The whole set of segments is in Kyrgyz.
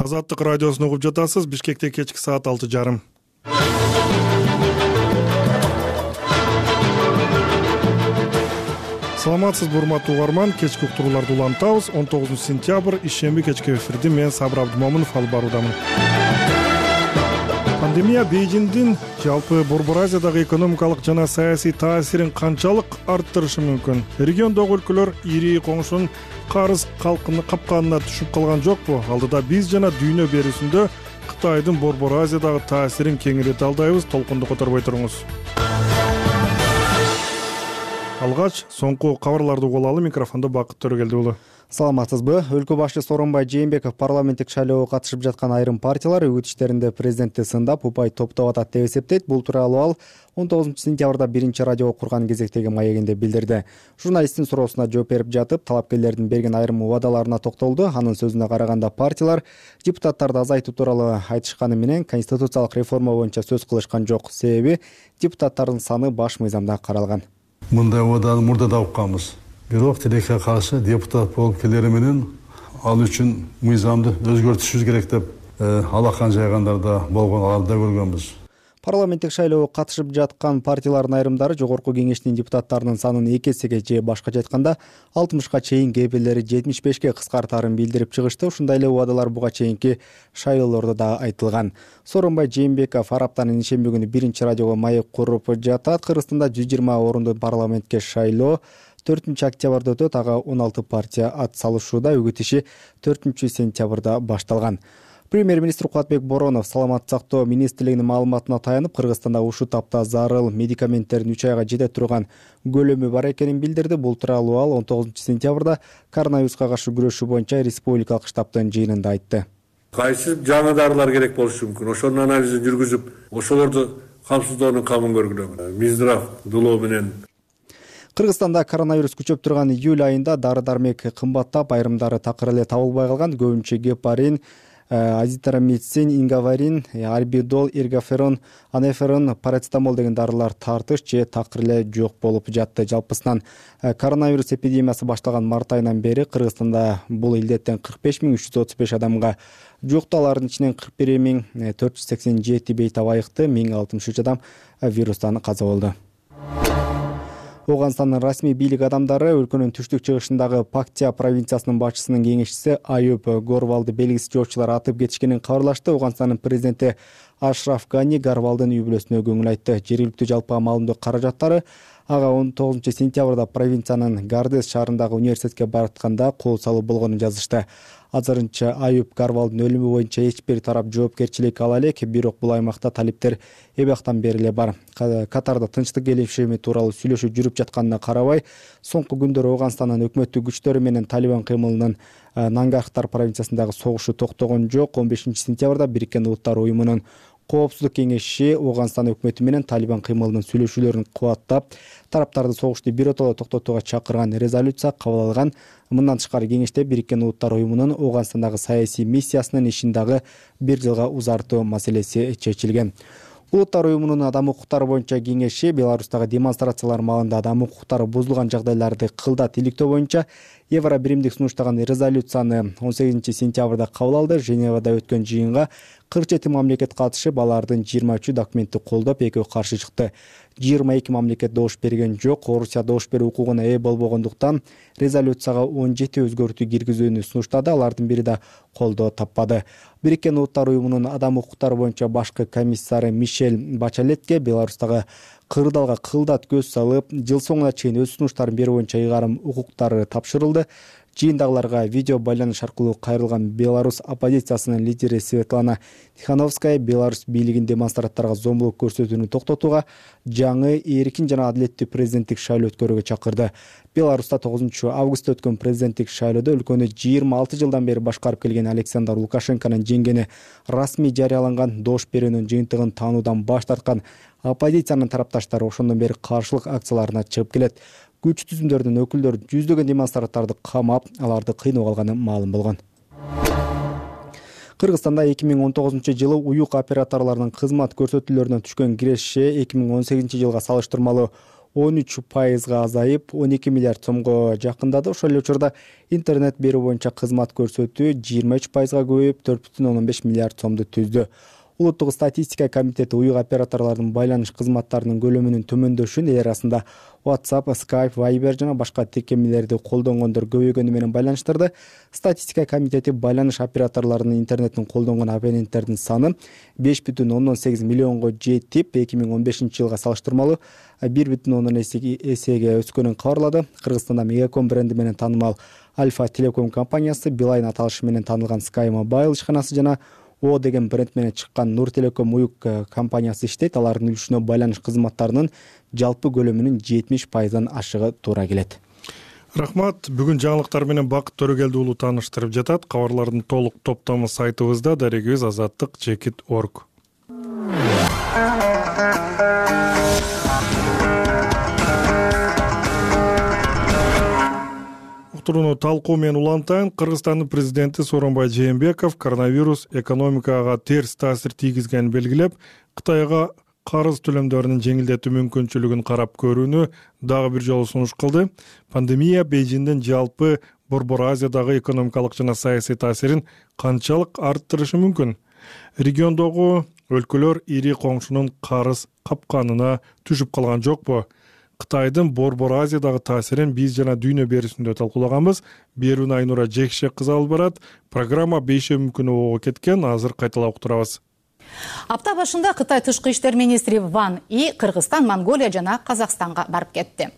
Азаттык радиосун угуп жатасыз. Бишкекте кечки саат 6:30. Саламатсызбы урматтуу угарман, кечки уктурууларды улантабыз. 19 сентябрь ишемби кечки эфирди мен Сабыр Абдымомунов алып баруудамын. Пандемия Бейжиңдин жалпы Борбор Азиядагы экономикалык жана саясий таасирин канчалык арттырышы мүмкүн? Региондогу өлкөлөр ири коңшунун карыз капканына түшүп калган жокпу? Алдыда биз жана дүйнө берүүсүндө Кытайдын Борбор Азиядагы таасирин кеңири талдайбыз. Толкунду которбой туруңуз. Алгач соңку кабарларды угуп алалы. Микрофондо Бакыт Төрөгелди уулу. Саламатсызбы? Өлкө башчы Сооронбай Жээнбеков парламенттик шайлоого катышып жаткан айрым партиялар үгүт иштеринде президентти сындап, упай топтоп атат деп эсептейт. Бул тууралуу ал 19 сентябрда биринчи радио курган кезектеги маегинде билдирди. Журналисттин суроосуна жооп берип жатып, талапкерлердин берген айрым убадаларына токтолду. Анын сөзүнө караганда партиялар депутаттарды азайтуу тууралуу айтышканы менен конституциялык реформа боюнча сөз кылышкан жок. Себеби депутаттардын саны баш мыйзамда каралган. Мындай убаданы мурда да укканбыз. Бирок тилекке каршы депутат болуп келери менен ал үчүн мыйзамды өзгөртүшүбүз керек деп алакан жайгандар да болгон, аларды да көргөнбүз. Парламенттик шайлоого катышып жаткан партиялардын айрымдары жогорку кеңештин депутаттарынын санын 2 эсеге же башкача айтканда 60ка чейин, кээ бирлери 75ке кыскартаарын билдирип чыгышты. Ушундай эле убадалар буга чейинки шайлоолордо да айтылган. Сооронбай Жээнбеков араптанын ишемби күнү биринчи радиого маек куруп жатат. Кыргызстанда 120 орундуу парламентке шайлоо 4 октябрда өтөт. Ага 16 партия ат салышууда. Үгүт иши 4 сентябрда башталган. Премьер-министр Кубатбек Боронов саламаттык сактоо министрлигинин маалыматына таянып, Кыргызстанда ушул тапта зарыл медикаменттердин 3 айга жете турган көлөмү бар экенин билдирди. Бул тууралуу ал 19 сентябрда коронавируска каршы күрөшүү боюнча республикалык штабтын жыйынында айтты. Кайсы жаңы дарылар керек болушу мүмкүн? Ошонун анализин жүргүзүп, ошолорду камсыздоонун камын көргүлөм. Минздрав дулоо менен Кыргызстанда коронавирус күчөп турган июль айында дары-дармек кымбаттап, айрымдары такыр эле табылбай калган. Көбүнчө гепарин, азитромицин, ингаварин, альбидол, эргоферон, анеферон, парацетамол деген дарылар тартыш же такыр эле жок болуп жатты. Жалпысынан коронавирус эпидемиясы башталган март айынан бери Кыргызстанда бул илдеттен 45.335 адамга жукту. Алардын ичинен 41.487 бейтап айыкты, 1063 адам вирустан каза болду. Оганстандын расмий бийлик адамдары өлкөнүн түштүк-чыгышындагы Пактия провинциясынын башчысынын кеңешчиси Аюп Горвалды белгисиз жоочулар атып кетишкенин кабарлашты. Оганстандын президенти Ашраф Гани Горвалдын үй бүлөсүнө көңүл айтты. Жергиликтүү жалпы амалымдоо каражаттары ага 19 сентябрда провинциянын Гардес шаарындагы университетке баратканда кол салуу болгонун жазышты. Азырынча Аюп Горвалдын өлүмү боюнча эч бир тарап жоопкерчилик ала элек, бирок бул аймакта талиптер эбактан бери эле бар. Катарда тынчтык келишими тууралуу сүйлөшүү жүрүп жатканына карабай, соңку күндөр Оганстандын өкмөттүк күчтөрү менен Талибан кыймылынын Нангархтар провинциясындагы согушу токтогон жок. 15 сентябрда Бириккен Улуттар уюмунун Коопсуздук кеңеши Оганстан өкмөтү менен Талибан кыймылынын сүйлөшүүлөрүн кубаттап, тараптарды согушту биротоло токтотууга чакырган резолюция кабыл алган. Мындан тышкары кеңеште Бириккен Улуттар уюмунун Оганстандагы саясий миссиясынын ишин дагы 1 жылга узартуу маселеси чечилген. Улуттар уюмунун адам укуктары боюнча кеңеши Беларустагы демонстрациялар маалында адам укуктары бузулган жагдайларды кылдат иликтөө боюнча Евро биримдик сунуштаган резолюцияны 18 сентябрда кабыл алды. Женевада өткөн жыйынга 47 мамлекет катышып, алардын 23 документти колдоп, 2 каршы чыкты. 22 мамлекет добуш берген жок. Орусия добуш берүү укугуна ээ болбогондуктан резолюцияга 17 өзгөртүү киргизүүнү сунуштады. Алардын бири да колдоо таппады. Бириккен Улуттар уюмунун адам укуктары боюнча башкы комиссары Мишель Бачалетке Беларустагы кырдаалга кылдат көз салып, жыл соңуна чейин өз сунуштарын берүү боюнча ыйгарым укуктары тапшырылды. Жыйындагыларга видео байланыш аркылуу кайрылган Беларусь оппозициясынын лидери Светлана Тихановская Беларусь бийлигин демонстранттарга зомбулук көрсөтүүнү токтотууга, жаңы эркин жана адилеттүү президенттик шайлоо өткөрүүгө чакырды. Беларуста 9 августта өткөн президенттик шайлоодо өлкөнү 26 жылдан бери башкарып келген Александр Лукашенконун жеңгени расмий жарыяланган добуш берүүнүн жыйынтыгын таануудан баш тарткан оппозициянын тарапташтары ошондон бери каршылык акцияларына чыгып келет. Күч түзүмдөрдүн өкүлдөрү жүздөгөн демонстранттарды камап, аларды кыйнап алганы маалым болгон. Кыргызстанда 2019 уюк операторлорунун кызмат көрсөтүүлөрүнөн түшкөн киреше 2018 жылга салыштырмалуу 13% азайып 12 миллиард сомго жакындады. Ошол эле учурда интернет берүү боюнча кызмат көрсөтүү 23%га көбөйүп 4,15 миллиард сомду түздү. Улуттук статистика комитети уюк операторлордун байланыш кызматтарынын көлөмүнүн төмөндөшүн эл арасында WhatsApp, Skype, Viber жана башка тиркемелерди колдонгондор көбөйгөнү менен байланыштырды. Статистика комитети байланыш операторлорунун интернетин колдонгон абоненттердин саны 5,8 миллионго жетип, 2015-жылга салыштырмалуу 1,1 эсеге өскөнүн кабарлады. Кыргызстанда Мегаком бренди менен таанымал Альфа Телеком компаниясы, Билайн аталышы менен таанылган Sky Mobile ишканасы жана О деген бренд менен чыккан Нур Телеком уюк компаниясы иштейт. Алардын үлүшүнө байланыш кызматтарынын жалпы көлөмүнүн 70%дан ашыгы туура келет. Рахмат. Бүгүн жаңылыктар менен Бакыт Төрөгелди уулу тааныштырып жатат. Кабарлардын толук топтому сайтыбызда, дарегибиз azаттык.org. Уктурууну талкуу менен улантайын. Кыргызстандын президенти Сооронбай Жээнбеков коронавирус экономикага терс таасир тийгизгенин белгилеп, Кытайга карыз төлөмдөрүнүн жеңилдетүү мүмкүнчүлүгүн карап көрүүнү дагы бир жолу сунуш кылды. Пандемия Бейжиңдин жалпы Борбор Азиядагы экономикалык жана саясий таасирин канчалык арттырышы мүмкүн? Региондогу өлкөлөр ири коңшунун карыз капканына түшүп калган жокпу? Кытайдын Борбор Азиядагы таасирин биз жана дүйнө берүүсүндө талкуулаганбыз. Берүүнү Айнура Жекшек кызы алып барат. Программа 5 мүмкүн ого кеткен. Азыр кайталап уктурабыз. Апта башында Кытай тышкы иштер министри Ван И Кыргызстан, Монголия жана Казакстанга барып кетти.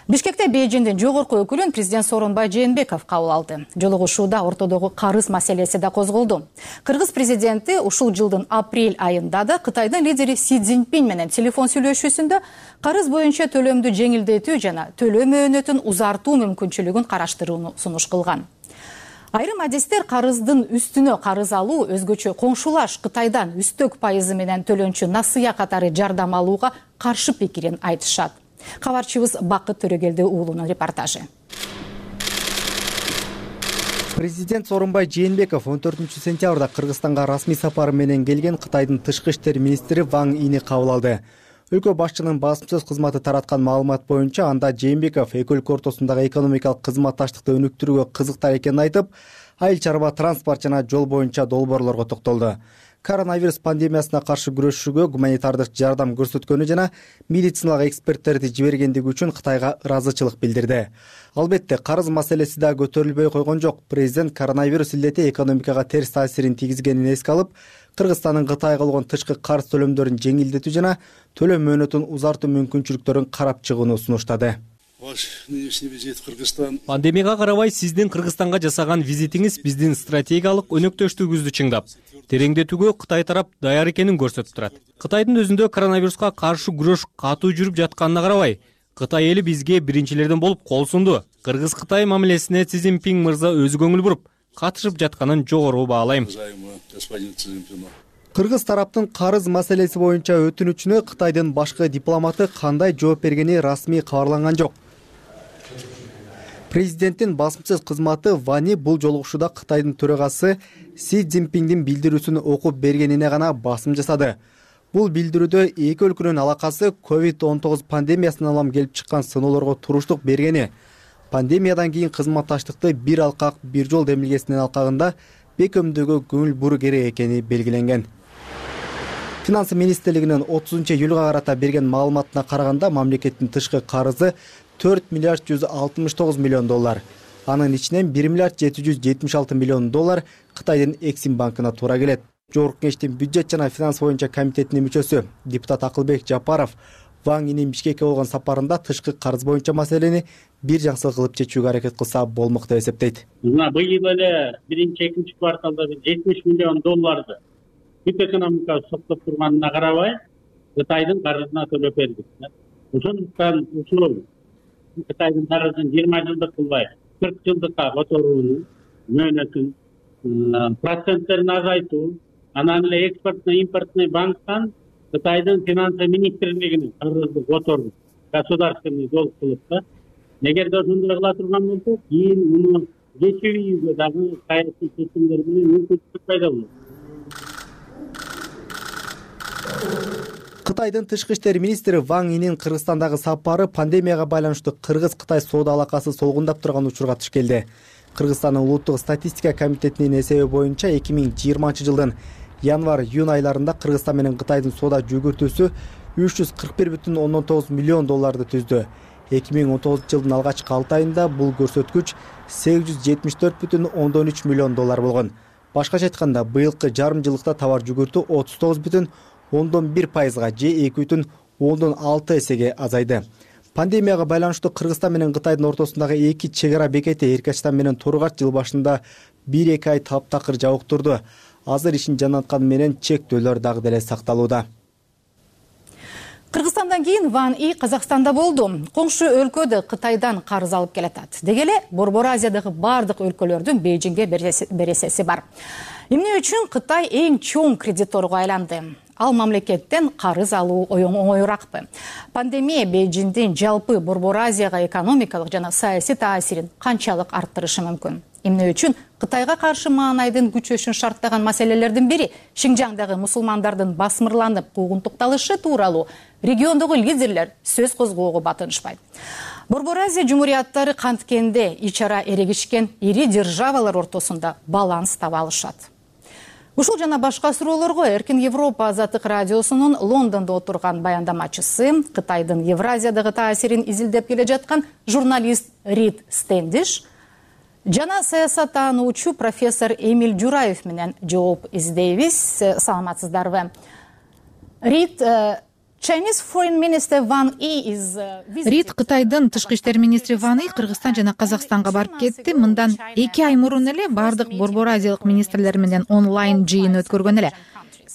Бишкекте Бейжиңдин жогорку өкүлүн президент Сооронбай Жээнбеков кабыл алды. Жолугушууда ортодогу карыз маселеси да козголду. Кыргыз президенти ушул жылдын апрель айында да Кытайдын лидери Си Цзиньпин менен телефон сүйлөшүүсүндө карыз боюнча төлөмдү жеңилдетүү жана төлөм мөөнөтүн узартуу мүмкүнчүлүгүн караштырууну сунуш кылган. Айрым адистер карыздын үстүнө карыз алуу, өзгөчө коңшулаш Кытайдан үстөк пайызы менен төлөнчү насыя катары жардам алууга каршы пикирин айтышат. Кабарчыбыз Бакыт Төрөгелди уулунун репортажы. Президент Сооронбай Жээнбеков 14-сентябрда Кыргызстанга расмий сапары менен келген Кытайдын тышкы иштер министри Ван Ини кабыл алды. Өлкө башчынын басым сөз кызматы тараткан маалымат боюнча, анда Жээнбеков эки өлкө ортосундагы экономикалык кызматташтыкты өнүктүрүүгө кызыктар экенин айтып, айыл чарба, транспорт жана жол боюнча долбоорлорго токтолду. Коронавирус пандемиясына каршы күрөшүүгө гуманитардык жардам көрсөткөнү жана медициналык эксперттерди жибергендиги үчүн Кытайга ыраазычылык билдирди. Албетте, карыз маселеси да көтөрүлбөй койгон жок. Президент коронавирус илдети экономикага терс таасирин тийгизгенин эске алып, Кыргызстандын Кытайга болгон тышкы карыз төлөмдөрүн жеңилдетүү жана төлөм мөөнөтүн узартуу мүмкүнчүлүктөрүн карап чыгууну сунуштады. Пандемияга карабай сиздин Кыргызстанга жасаган визитиңиз биздин стратегиялык өнөктөштүгүбүздү чыңдап, тереңдетүүгө Кытай тарап даяр экенин көрсөтүп турат. Кытайдын өзүндө коронавируска каршы күрөш катуу жүрүп жатканына карабай, Кытай эли бизге биринчилерден болуп кол сунду. Кыргыз-Кытай мамилесине Си Цзиньпин мырза өзү көңүл буруп, катышып жатканын жогору баалайм. Кыргыз тараптын карыз маселеси боюнча өтүнүчүнө Кытайдын башкы дипломаты кандай жооп бергени расмий кабарланган жок. Президенттин басым сөз кызматы Вани бул жолугушууда Кытайдын төрагасы Си Цзиньпиндин билдирүүсүн окуп бергенине гана басым жасады. Бул билдирүүдө эки өлкөнүн алакасы COVID-19 пандемиясынан улам келип чыккан сыноолорго туруштук бергени, пандемиядан кийин кызматташтыкты бир алкак, бир жол демилгесинин алкагында бекемдөөгө көңүл буруу керек экени белгиленген. Финанс министрлигинин 30-июлга карата берген маалыматына караганда, мамлекеттин тышкы карызы 4 миллиард 169 миллион доллар. Анын ичинен 1 миллиард 776 миллион доллар Кытайдын Эксим банкына туура келет. Жогорку кеңештин бюджет жана финанс боюнча комитетинин мүчөсү депутат Акылбек Жапаров Ван Инин Бишкекке болгон сапарында тышкы карыз боюнча маселени бир жаксыл кылып чечүүгө аракет кылса болмок деп эсептейт. Быйыл эле биринчи, экинчи кварталда 70 миллион долларды бүт экономикага соктоп турганына карабай, Кытайдын карызына төлөп бердик. Ошондуктан ушул Кытайдын карызын 20 жылдык кылбай 40 жылдыкка которууну, мөөнөтүн, проценттерин азайтуу, анан эле экспортный импортный банктан Кытайдын финанс министрлигинин карызды которуу, государственный долг кылып да, эгерде ошондой кыла турган болсок, кийин муну кечирүүгө дагы саясий чечимдер менен мүмкүнчүлүк пайда болот. Кытайдын тышкы иштер министри Ван Инин Кыргызстандагы сапары пандемияга байланыштуу Кыргыз-Кытай соода алакасы солгундап турган учурга туш келди. Кыргызстандын улуттук статистика комитетинин эсеби боюнча 2020-жылдын январь-июнь айларында Кыргызстан менен Кытайдын соода жүгүртүүсү 341,9 миллион долларды түздү. 2019-жылдын алгачкы 6 айында бул көрсөткүч 874,3 миллион доллар болгон. Башкача айтканда, быйылкы жарым жылдыкта товар жүгүртүү 39,1%га же 2,6 эсеге азайды. Пандемияга байланыштуу Кыргызстан менен Кытайдын ортосундагы эки чек ара бекети Эркачтан менен Торгач жыл башында 1-2 ай таптакыр жабык турду. Азыр ишин жанатканы менен чектөөлөр дагы деле сакталууда. Кыргызстандан кийин Ван И Казакстанда болду. Коңшу өлкөдө Кытайдан карыз алып келатат. Деги эле Борбор Азиядагы бардык өлкөлөрдүн Бейжиңге бересеси бар. Эмне үчүн Кытай эң чоң кредиторго айланды? Ал мамлекеттен карыз алуу оңоюракпы? Пандемия Бейжиңдин жалпы Борбор Азияга экономикалык жана саясий таасирин канчалык арттырышы мүмкүн? Эмне үчүн Кытайга каршы маанайдын күчөшүн шарттаган маселелердин бири Шинжаңдагы мусулмандардын басмырланып куугунтукталышы тууралуу региондогу лидерлер сөз козгоого батынышпайт. Борбор Азия жумурияттары канткенде ич ара эрегишкен ири державалар ортосунда баланс таба алышат. Ушул жана башка суроолорго Эркин Европа Азаттык радиосунун Лондондо отурган баяндамачысы, Кытайдын Евразиядагы таасирин изилдеп келе жаткан журналист Рид Стендиш жана саясаттануучу профессор Эмиль Жураев менен жооп издейбиз. Саламатсыздарбы? Рид, Рид Кытайдын тышкы иштер министри Ван И Кыргызстан жана Казакстанга барып кетти. Мындан 2 ай мурун эле бардык Борбор Азиялык министрлер менен онлайн жыйын өткөргөн эле.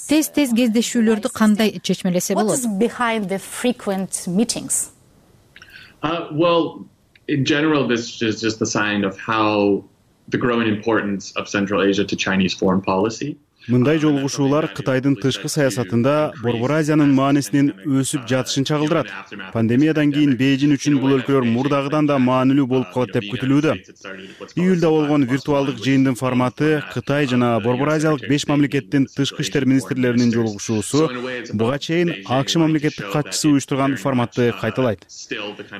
Тез кездешүүлөрдү кандай чечмелесе болот? Well, in general, this is just a sign of how the growing importance of Central Asia to Chinese foreign policy. Мындай жолугушуулар Кытайдын тышкы саясатында Борбор Азиянын маанисинин өсүп жатышын чагылдырат. Пандемиядан кийин Бейжиң үчүн бул өлкөлөр мурдагыдан да маанилүү болуп калат деп күтүлүүдө. Июлда болгон виртуалдык жыйындын форматы Кытай жана Борбор Азиялык 5 мамлекеттин тышкы иштер министрлеринин жолугушуусу буга чейин АКШ мамлекеттик катчысы уюштурган форматты кайталайт.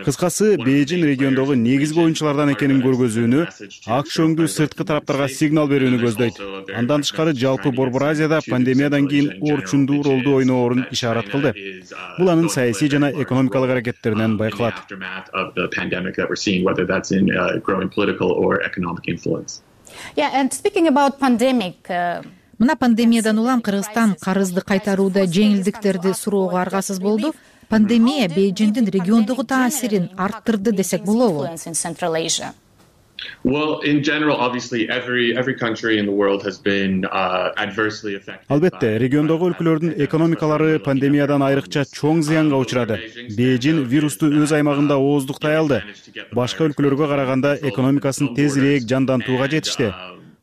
Кыскасы, Бейжиң региондогу негизги оюнчулардан экенин көргөзүүнү, АКШ өңдүү сырткы тараптарга сигнал берүүнү көздөйт. Андан тышкары жалпы Борбор Азияда пандемиядан кийин орчундуу ролду ойноорун ишарат кылды. Бул анын саясий жана экономикалык аракеттеринен байкалат. Мына пандемиядан улам Кыргызстан карызды кайтарууда жеңилдиктерди суроого аргасыз болду. Пандемия Бейжиңдин региондогу таасирин арттырды десек болобу? Well, in general, obviously, every country in the world has been adversely affected. Албетте, региондогу өлкөлөрдүн экономикалары пандемиядан айрыкча чоң зыянга учурады. Бейжиң вирусту өз аймагында ооздуктай алды. Башка өлкөлөргө караганда экономикасын тезирээк жандантууга жетишти.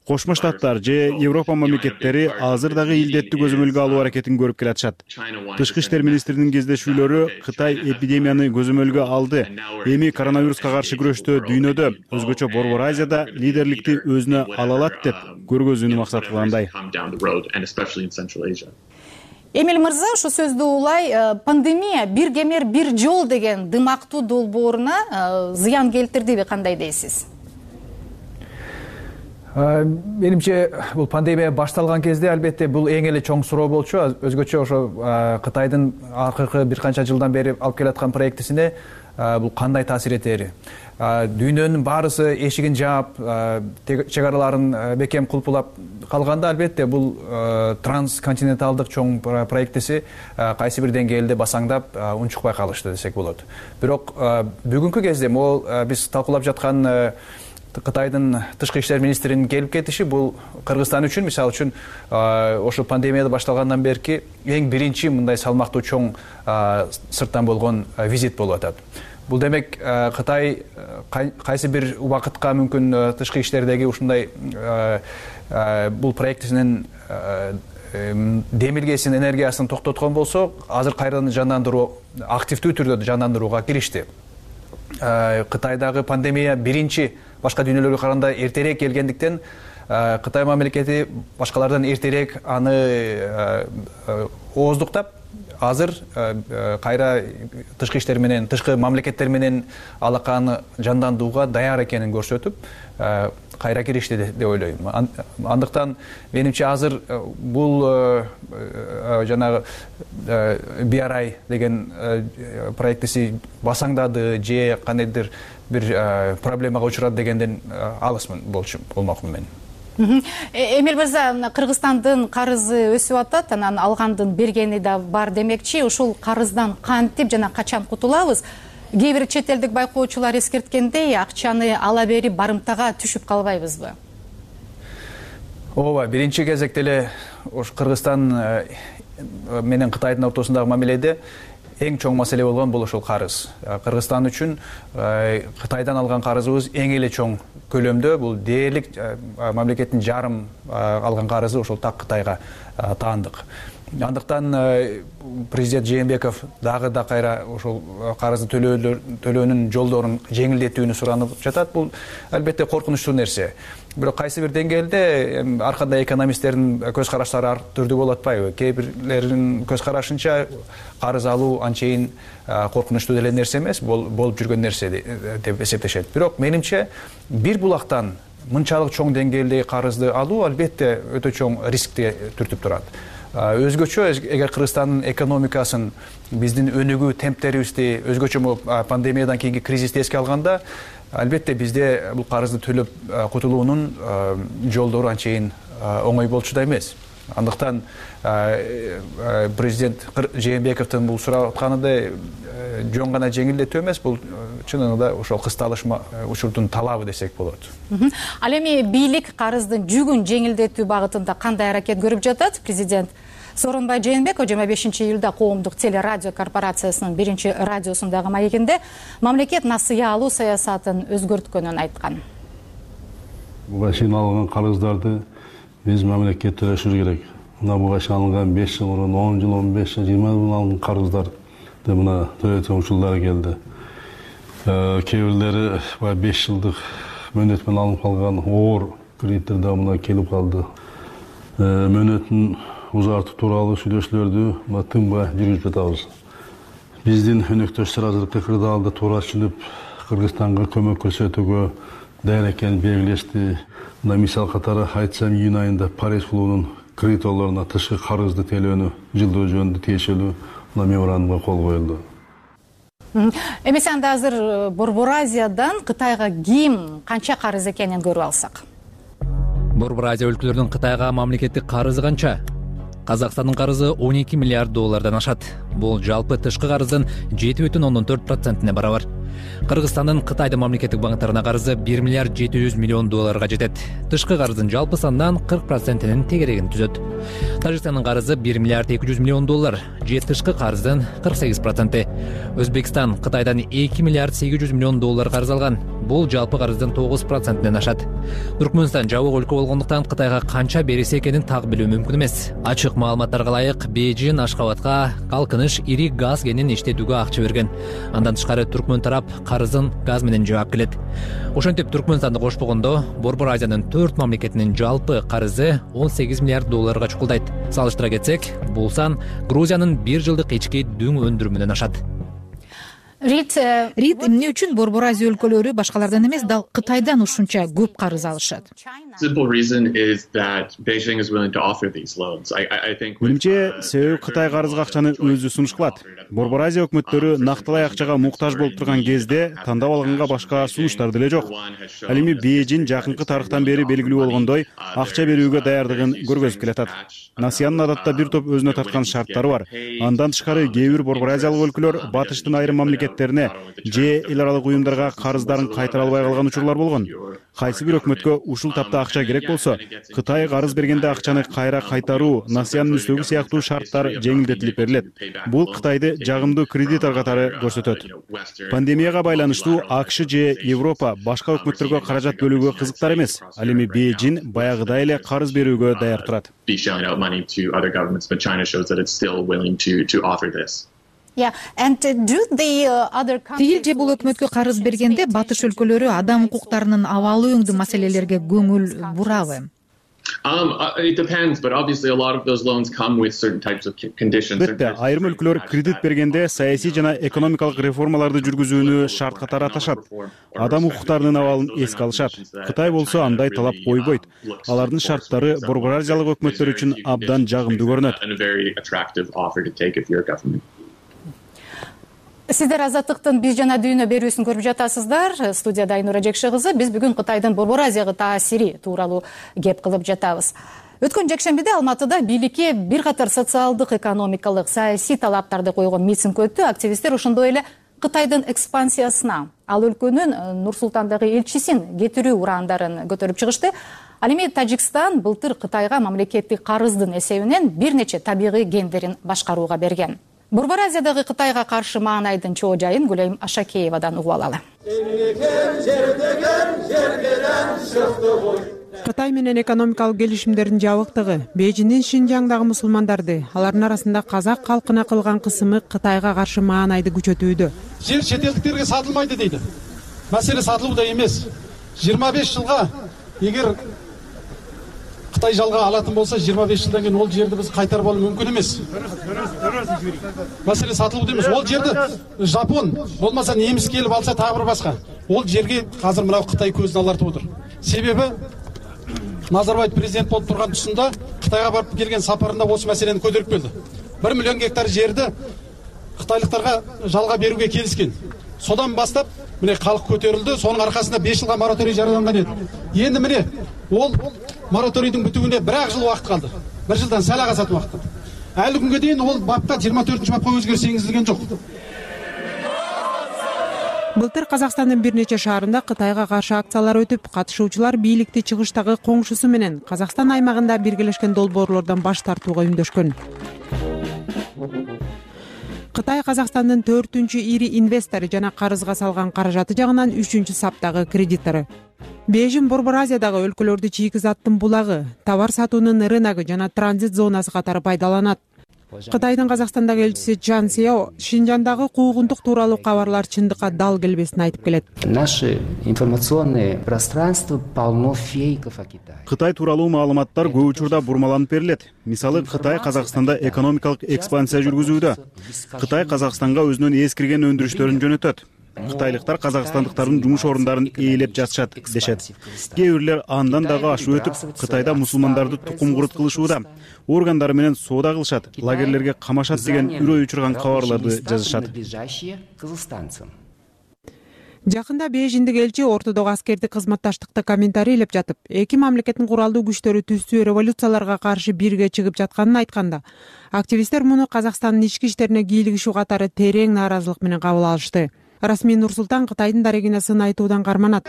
Кошмо Штаттар же Европа мамлекеттери азыр дагы илдетти көзөмөлгө алуу аракетин көрүп келатышат. Тышкы иштер министринин кездешүүлөрү Кытай эпидемияны көзөмөлгө алды. Эми коронавируска каршы күрөштө дүйнөдө, өзгөчө Борбор Азияда лидерликти өзүнө ала алат деп көргөзүүнү максат кылгандай. Эмиль мырза, ушу сөздү улай, пандемия бир кемер бир жол деген дымактуу долбооруна зыян келтирдиби, кандай дейсиз? Менимче, бул пандемия башталган кезде албетте бул эң эле чоң суроо болчу. Өзгөчө ошо Кытайдын акыркы бир канча жылдан бери алып келаткан проектисине бул кандай таасир этери. Дүйнөнүн баарысы эшигин жаап, чек араларын бекем кулпулап калганда албетте бул трансконтиненталдык чоң проектиси кайсы бир деңгээлде басаңдап унчукпай калышты десек болот. Бирок бүгүнкү кезде могул биз талкуулап жаткан Кытайдын тышкы иштер министринин келип кетиши бул Кыргызстан үчүн, мисалы үчүн, ошо пандемия башталгандан берки эң биринчи мындай салмактуу чоң сырттан болгон визит болуп атат. Бул демек Кытай кайсы бир убакытка мүмкүн тышкы иштердеги ушундай бул проектисинин демилгесин, энергиясын токтоткон болсо, азыр кайрадан жандандыруу, активдүү түрдө жандандырууга киришти. Кытайдагы пандемия биринчи башка дүйнөлөргө караганда эртерээк келгендиктен Кытай мамлекети башкалардан эртерээк аны ооздуктап, азыр кайра тышкы иштер менен, тышкы мамлекеттер менен алаканы жандандырууга даяр экенин көрсөтүп, кайра киришти деп ойлойм. Андыктан менимче азыр бул жанагы BRI деген проектиси басаңдады же кандайдыр бир проблемага учурады дегенден алысмын болмокмун мен. Эмил мырза, Кыргызстандын карызы өсүп атат, анан алгандын бергени да бар демекчи. Ушул карыздан кантип жана качан кутулабыз? Кээ бир чет элдик байкоочулар эскерткендей, акчаны ала берип барымтага түшүп калбайбызбы? Ооба, биринчи кезекте эле Кыргызстан менен Кытайдын ортосундагы мамиледе эң чоң маселе болгон бул ошол карыз. Кыргызстан үчүн Кытайдан алган карызыбыз эң эле чоң көлөмдө, бул дээрлик мамлекеттин жарым алган карызы ошол так Кытайга таандык. Андыктан президент Жээнбеков дагы да кайра ошол карызды төлөөнүн жолдорун жеңилдетүүнү суранып жатат. Бул албетте коркунучтуу нерсе. Бирок кайсы бир деңгээлде ар кандай экономисттердин көз караштары ар түрдүү болуп атпайбы? Кээ бирлердин көз карашынча карыз алуу анчейин коркунучтуу деле нерсе эмес, болуп жүргөн нерсе деп эсептешет. Бирок менимче бир булактан мынчалык чоң деңгээлдеги карызды алуу албетте өтө чоң рискти түртүп турат. Өзгөчө эгер Кыргызстандын экономикасын, биздин өнүгүү темптерибизди, өзгөчө пандемиядан кийинки кризисти эске алганда, албетте бизде бул карызды төлөп кутулуунун жолдору анчейин оңой болчу да эмес. Андыктан президент Жээнбековдун бул сурап атканындай жөн гана жеңилдетүү эмес, бул чынында ошол кысталыш учурдун талабы десек болот. Ал эми бийлик карыздын жүгүн жеңилдетүү багытында кандай аракет көрүп жатат? Президент Сооронбай Жээнбеков 25-июлда Коомдук телерадио корпорациясынын 1-радиосундагы маегинде мамлекет насыя алуу саясатын өзгөрткөнүн айткан. Буга чейин алган карыздарды биз мамлекет төлөшүш керек. Мына буга чейин алынган 5 жыл мурун, 10 жыл, 15 жыл, 20 жыл алган карыздарды мына төлөтүү учурлары келди. Кээ бирлери 5 жылдык мөөнөт менен алынып калган оор кредиттер да мына келип калды. Мөөнөтүн узартуу тууралуу сүйлөшүүлөрдү тынбай жүргүзүп жатабыз. Биздин өнөктөштөр азыркы кырдаалды туура түшүнүп, Кыргызстанга көмөк көрсөтүүгө даяр экенин белгилешти. Мына мисал катары айтсам, июнь айында Париж клубунун кредиторлоруна тышкы карызды төлөөнү жылдоо жөнүндө тиешелүү меморандумга кол коюлду. Эмесе анда азыр Борбор Азиядан Кытайга ким канча карыз экенин көрүп алсак. Борбор Азия өлкөлөрүнүн Кытайга мамлекеттик карызы канча? Казакстандын карызы 12 миллиард доллардан ашат. Бул жалпы тышкы карыздын 7,4%-не барабар. Кыргызстандын Кытайдын мамлекеттик банктарына карызы 1 миллиард 700 миллион долларга жетет. Тышкы карыздын жалпы санынан 40%-нин тегерегин түзөт. Тажикстандын карызы 1 миллиард 200 миллион доллар, же тышкы карыздын 48%. Өзбекстан Кытайдан 2 миллиард 800 миллион доллар карыз алган. Бул жалпы карыздын 9%-нен ашат. Түркмөнстан жабык өлкө болгондуктан Кытайга канча бериси экенин так билүү мүмкүн эмес. Ачык маалыматтарга ылайык, Бейжин Ашкабадка калкыныш ири газ кенин иштетүүгө акча берген. Андан тышкары Түркмөн тарап карызын газ менен жаап келет. Ошентип Түркмөнстанды кошпогондо Борбор Азиянын 4 мамлекетинин жалпы карызы 18 миллиард долларга чукулдайт. Салыштыра кетсек, бул сан Грузиянын 1 жылдык ички дүң өндүрүмүнөн ашат. Рид, эмне үчүн Борбор Азия өлкөлөрү башкалардан эмес, дал Кытайдан ушунча көп карыз алышат? Менимче, себеби Кытай карызга акчаны өзү сунуш кылат. Борбор Азия өкмөттөрү нактылай акчага муктаж болуп турган кезде тандап алганга башка сунуштар деле жок. Ал эми Бейжин жакынкы тарыхтан бери белгилүү болгондой, акча берүүгө даярдыгын көргөзүп келатат. Насиянын адатта бир топ өзүнө тарткан шарттары бар. Андан тышкары кээ бир Борбор Азиялык өлкөлөр батыштын айрым мамлекеттерине же эл аралык уюмдарга карыздарын кайтара албай калган учурлар болгон. Кайсы бир өкмөткө ушул тапта акча керек болсо, Кытай карыз бергенде акчаны кайра кайтаруу, насиянын үстөгү сыяктуу шарттар жеңилдетилип берилет. Бул Кытайды жагымдуу кредитор катары көрсөтөт. Пандемияга байланыштуу АКШ же Европа башка өкмөттөргө каражат бөлүүгө кызыктар эмес. Ал эми Бейжин баягыдай эле карыз берүүгө даяр турат. Тигил же бул өкмөткө карыз бергенде батыш өлкөлөрү адам укуктарынын абалы өңдүү маселелерге көңүл бурабы? It depends, but obviously a lot of those loans come with certain types of conditions. Албетте, айрым өлкөлөр кредит бергенде саясий жана экономикалык реформаларды жүргүзүүнү шарт катары аташат. Адам укуктарынын абалын эске алышат. Кытай болсо андай талап койбойт. Алардын шарттары Борбор Азиялык өкмөттөр үчүн абдан жагымдуу көрүнөт. Сиздер Азаттыктын биз жана дүйнө берүүсүн көрүп жатасыздар. Студияда Айнура Жекше кызы. Биз бүгүн Кытайдын Борбор Азияга таасири тууралуу кеп кылып жатабыз. Өткөн жекшембиде Алматыда бийликке бир катар социалдык, экономикалык, саясий талаптарды койгон митинг өттү. Активисттер ошондой эле Кытайдын экспансиясына, ал өлкөнүн Нур-Султандагы элчисин кетирүү ураандарын көтөрүп чыгышты. Ал эми Тажикстан былтыр Кытайга мамлекеттик карыздын эсебинен бир нече табигый кендерин башкарууга берген. Борбор Азиядагы Кытайга каршы маанайдын чоо жайын Гүлайым Ашакеевадан угуп алалы. Кытай менен экономикалык келишимдердин жабыктыгы Бейжиңдин Шинжаңдагы мусулмандарды, алардын арасында казак калкына кылган кысымы Кытайга каршы маанайды күчөтүүдө. Жер чет-элдиктерге сатылмайды дейди. Маселе сатылууда эмес. 25 жылга эгер Кытай жалга алатын болса, 25 жылдан кийин ол жерди биз кайтарып алуу мүмкүн эмес. Маселе сатылууда эмес. Ол жерди Жапон, болмаса немис келип алса тагы бир башка. Ол жерге азыр мына Кытай көзүн алартып отур. Себеби Назарбаев президент болуп турган тұсында Кытайга барып келген сапарында осы маселени көтөрүп келди. 1 миллион гектар жерди кытайлыктарга жалга берүүгө келишкен. Содан бастап міне халық көтерілді. Соның арқасында 5 жылға мораторий жарияланған еді. Енді міне ол мораторийдің бітуіне 1 жыл уақыт қалды. 1 жылдан сәл асатын уақыт қалды. Әлі күнге дейін ол бапқа 24-ші бапқа өзгеріс енгізілген жоқ. Былтыр Казакстандын бир нече шаарында Кытайга каршы акциялар өтүп, катышуучулар бийликти чыгыштагы коңшусу менен Казакстан аймагында биргелешкен долбоорлордон баш тартууга үндөшкөн. Кытай Казакстандын 4-чү ири инвестору жана карызга салган каражаты жагынан 3-чү саптагы кредитору. Бейжиң Борбор Азиядагы өлкөлөрдү чийки заттын булагы, товар сатуунун рыногу жана транзит зонасы катары пайдаланат. Кытайдын Казакстандагы элчиси Чжан Сяо Шинжаңдагы куугунтук тууралуу кабарлар чындыкка дал келбесин айтып келет. Наше информационное пространство полно фейков о Китае. Кытай тууралуу маалыматтар көп учурда бурмаланып берилет. Мисалы, Кытай Казакстанда экономикалык экспансия жүргүзүүдө. Кытай Казакстанга өзүнүн эскирген өндүрүштөрүн жөнөтөт. Кытайлыктар казакстандыктардын жумуш орундарын ээлеп жатышат дешет. Кээ бирлер андан дагы ашып өтүп, Кытайда мусулмандарды тукум курут кылышууда, органдары менен соода кылышат, лагерлерге камашат деген үрөй учурган кабарларды жазышат. Жакында Бейжиңдик элчи ортодогу аскердик кызматташтыкты комментарийлеп жатып, эки мамлекеттин куралдуу күчтөрү түздүү революцияларга каршы бирге чыгып жатканын айтканда, активисттер муну Казакстандын ички иштерине кийлигишүү катары терең нааразылык менен кабыл алышты. Расмий Нур-Султан Кытайдын дарегине сын айтуудан карманат.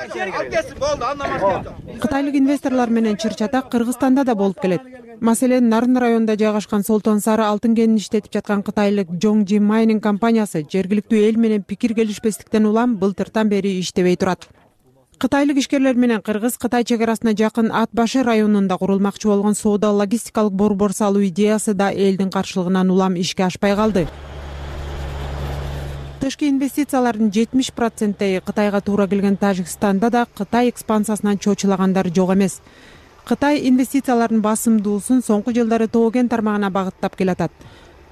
Кытайлык инвесторлор менен чыр-чатак Кыргызстанда да болуп келет. Маселен, Нарын районунда жайгашкан Солтон Сары алтын кенин иштетип жаткан кытайлык Жоңжи Майнинг компаниясы жергиликтүү эл менен пикир келишпестиктен улам былтыртан бери иштебей турат. Кытайлык ишкерлер менен Кыргыз-Кытай чек арасына жакын Ат башы районунда курулмакчы болгон соода логистикалык борбор салуу идеясы да элдин каршылыгынан улам ишке ашпай калды. Тышкы инвестициялардын 70% Кытайга туура келген Тажикстанда да Кытай экспансиясынан чочулагандар жок эмес. Кытай инвестициялардын басымдуусун соңку жылдары Тоо-Кен тармагына багыттап келатат.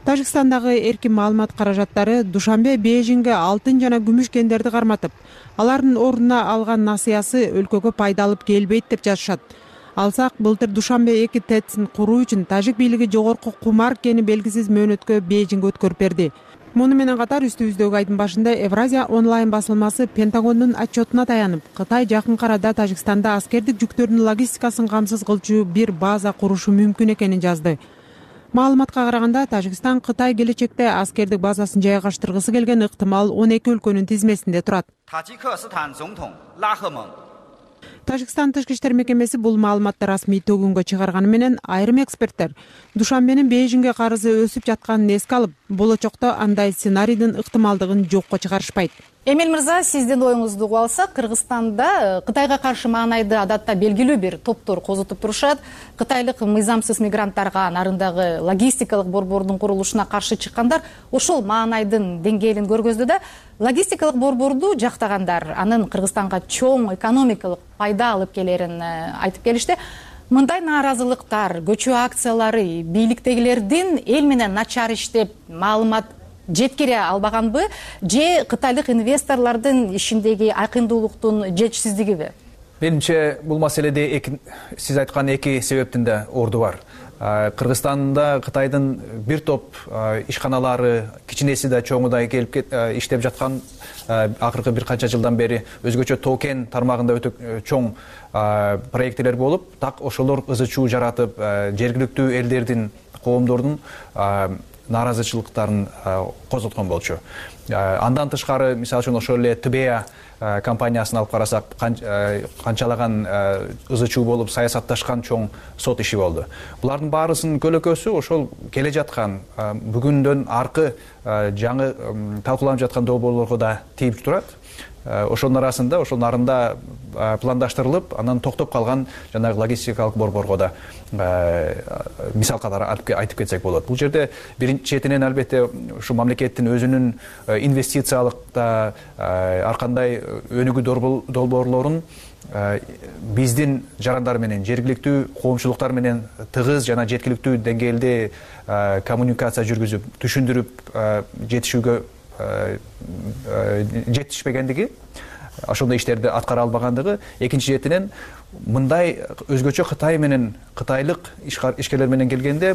Тажикстандагы эркин маалымат каражаттары Душанбе Бейжиңге алтын жана күмүш кендерди карматып, алардын ордуна алган насыясы өлкөгө пайда алып келбейт деп жазышат. Алсак, былтыр Душанбе 2 ТЭЦин куруу үчүн тажик бийлиги жогорку кумар кени белгисиз мөөнөткө Бейжиңге өткөрүп берди. Муну менен катар үстүбүздөгү айдын башында Евразия онлайн басылмасы Пентагондун отчетуна таянып, Кытай жакын арада Тажикстанда аскердик жүктөрдүн логистикасын камсыз кылчу бир база курушу мүмкүн экенин жазды. Маалыматка караганда, Тажикстан Кытай келечекте аскердик базасын жайгаштыргысы келген ыктымал 12 өлкөнүн тизмесинде турат. Тажикстан тышкы иштер мекемеси бул маалыматты расмий төгүнгө чыгарганы менен айрым эксперттер Душанбенин Бейжиңге карызы өсүп жатканын эске алып, болочокто андай сценарийдин ыктымалдыгын жокко чыгарышпайт. Эмил мырза, сиздин оюңузду угуп алсак, Кыргызстанда Кытайга каршы маанайды адатта белгилүү бир топтор козутуп турушат. Кытайлык мыйзамсыз мигранттарга нарындагы логистикалык борбордун курулушуна каршы чыккандар ошол маанайдын деңгээлин көргөздү да, логистикалык борборду жактагандар анын Кыргызстанга чоң экономикалык пайда алып келерин айтып келишти. Мындай нааразылыктар, көчүү акциялары бийликтегилердин эл менен начар иштеп маалымат жеткире албаганбы же кытайлык инвесторлордун ишиндеги айкындуулуктун жетишсиздигиби? Менимче бул маселеде сиз айткан эки себептин да орду бар. Кыргызстанда Кытайдын бир топ ишканалары, кичинеси да чоңу да келип иштеп жаткан акыркы бир канча жылдан бери өзгөчө токен тармагында өтө чоң проекттер болуп, так ошолор ызы чуу жаратып, жергиликтүү элдердин, коомдордун нааразычылыктарын козготкон болчу. Андан тышкары, мисалы үчүн ошол эле ТБА компаниясын алып карасак, канчалаган ызы чуу болуп саясатташкан чоң сот иши болду. Булардын баарысынын көлөкөсү ошол келе жаткан бүгүндөн аркы жаңы талкууланып жаткан долбоорлорго да тийип турат. Ошонун арасында, ошонун нарында пландаштырылып, анан токтоп калган жанагы логистикалык борборго да мисал катары айтып кетсек болот. Бул жерде биринчи четинен албетте ушу мамлекеттин өзүнүн инвестициялыкта ар кандай өнүгүү долбоорлорун биздин жарандар менен, жергиликтүү коомчулуктар менен тыгыз жана жеткиликтүү деңгээлде коммуникация жүргүзүп, түшүндүрүп жетишүүгө жетишпегендиги, ошондой иштерди аткара албагандыгы, экинчи четинен мындай өзгөчө Кытай менен, кытайлык ишкерлер менен келгенде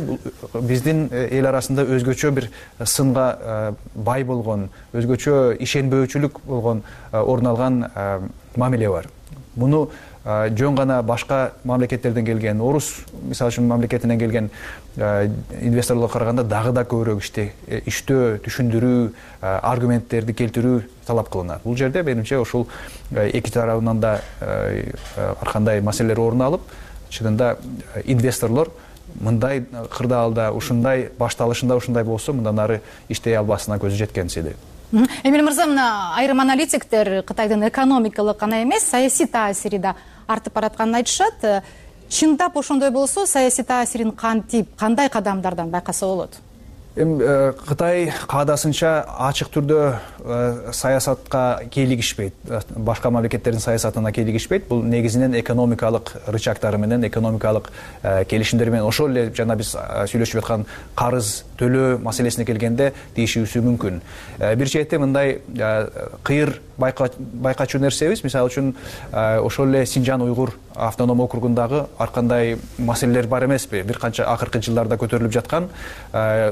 биздин эл арасында өзгөчө бир сынга бай болгон, өзгөчө ишенбөөчүлүк болгон орун алган мамиле бар. Муну жөн гана башка мамлекеттерден келген, орус мисалы үчүн мамлекетинен келген инвесторлорго караганда дагы да көбүрөөк иштөө, түшүндүрүү, аргументтерди келтирүү талап кылынат. Бул жерде менимче ушул эки тарабынан да ар кандай маселелер орун алып, чынында инвесторлор мындай кырдаалда, ушундай башталышында ушундай болсо, мындан ары иштей албасына көзү жеткенсиди. Эмил мырза, мына айрым аналитиктер Кытайдын экономикалык гана эмес, саясий таасири да артып баратканын айтышат. Чындап ошондой болсо, саясий таасирин кантип, кандай кадамдардан байкаса болот? Кытай каадасынча ачык түрдө саясатка кийлигишпейт, башка мамлекеттердин саясатына кийлигишпейт. Бул негизинен экономикалык рычагтары менен, экономикалык келишимдер менен, ошол эле жана биз сүйлөшүп аткан карыз төлөө маселесине келгенде тийишүүсү мүмкүн. Бир четте мындай кыйыр байкачу нерсебиз, мисалы үчүн ошол эле Синжан уйгур автоном округундагы ар кандай маселелер бар эмеспи? Бир канча акыркы жылдарда көтөрүлүп жаткан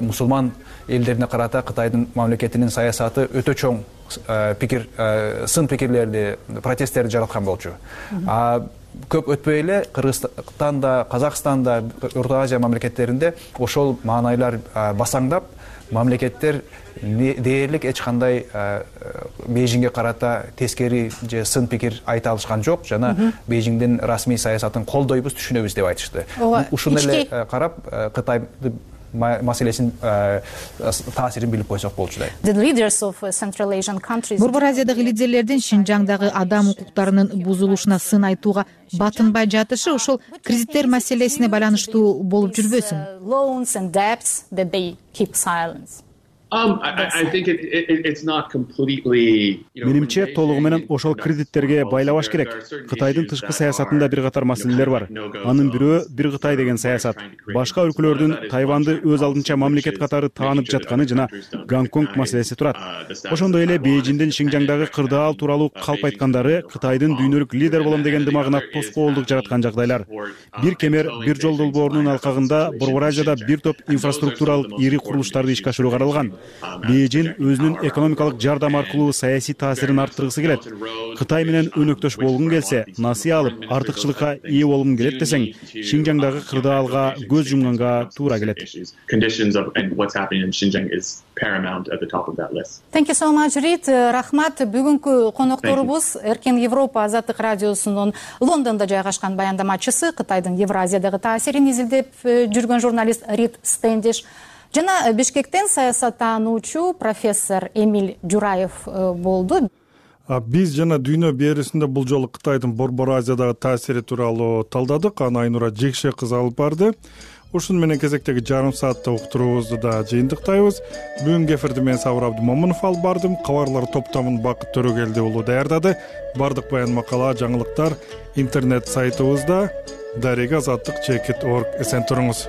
мусулман элдерине карата Кытайдын мамлекетинин саясаты өтө чоң сын пикирлерди, протесттерди жараткан болчу. Көп өтпөй эле Кыргызстанда, Казакстанда, Орто Азия мамлекеттеринде ошол маанайлар басаңдап, мамлекеттер дээрлик эч кандай Бейжиңге карата тескери же сын пикир айта алышкан жок, жана Бейжиңдин расмий саясатын колдойбуз, түшүнөбүз деп айтышты. Ушуну эле карап Кытай маселесин таасирин билип койсок болчудай. Борбор Азиядагы лидерлердин Шинжаңдагы адам укуктарынын бузулушуна сын айтууга батынбай жатышы ошол кредиттер маселесине байланыштуу болуп жүрбөсүн? Менимче толугу менен ошол кредиттерге байлабаш керек. Кытайдын тышкы саясатында бир катар маселелер бар. Анын бирөө бир Кытай деген саясат. Башка өлкөлөрдүн Тайванды өз алдынча мамлекет катары таанып жатканы жана Гонконг маселеси турат. Ошондой эле Бейжиңдин Шинжаңдагы кырдаал тууралуу калп айткандары Кытайдын дүйнөлүк лидер болом деген дымагына тоскоолдук жараткан жагдайлар. Бир кемер, бир жол долбоорунун алкагында Борбор Азияда бир топ инфраструктуралык ири курулуштарды ишке ашыруу каралган. Бейжиң өзүнүн экономикалык жардам аркылуу саясий таасирин арттыргысы келет. Кытай менен өнөктөш болгун келсе, насыя алып, артыкчылыкка ээ болгун келет десең, Шинжаңдагы кырдаалга көз жумганга туура келет. Thank you so much, Reed. Рахмат. Бүгүнкү конокторубуз Эркен Европа азаттык радиосунун Лондондо жайгашкан баяндамачысы, Кытайдын Евразиядагы таасирин изилдеп жүргөн журналист Reed Standish жана Бишкектен саясаттануучу профессор Эмиль Жураев болду. Биз жана дүйнө берүүсүндө бул жолу Кытайдын Борбор Азиядагы таасири тууралуу талдадык. Аны Айнура Жекше кызы алып барды. ушуну менен кезектеги жарым саатта уктуруубузду да жыйынтыктайбыз. Бүгүнкү эфирди мен Сабыр Абдымомунов алып бардым. Кабарлар топтомун Бакыт Төрөгелди уулу даярдады. Бардык баян макала, жаңылыктар интернет сайтыбызда. Дарега Азаттык _org. Эсен туруңуз.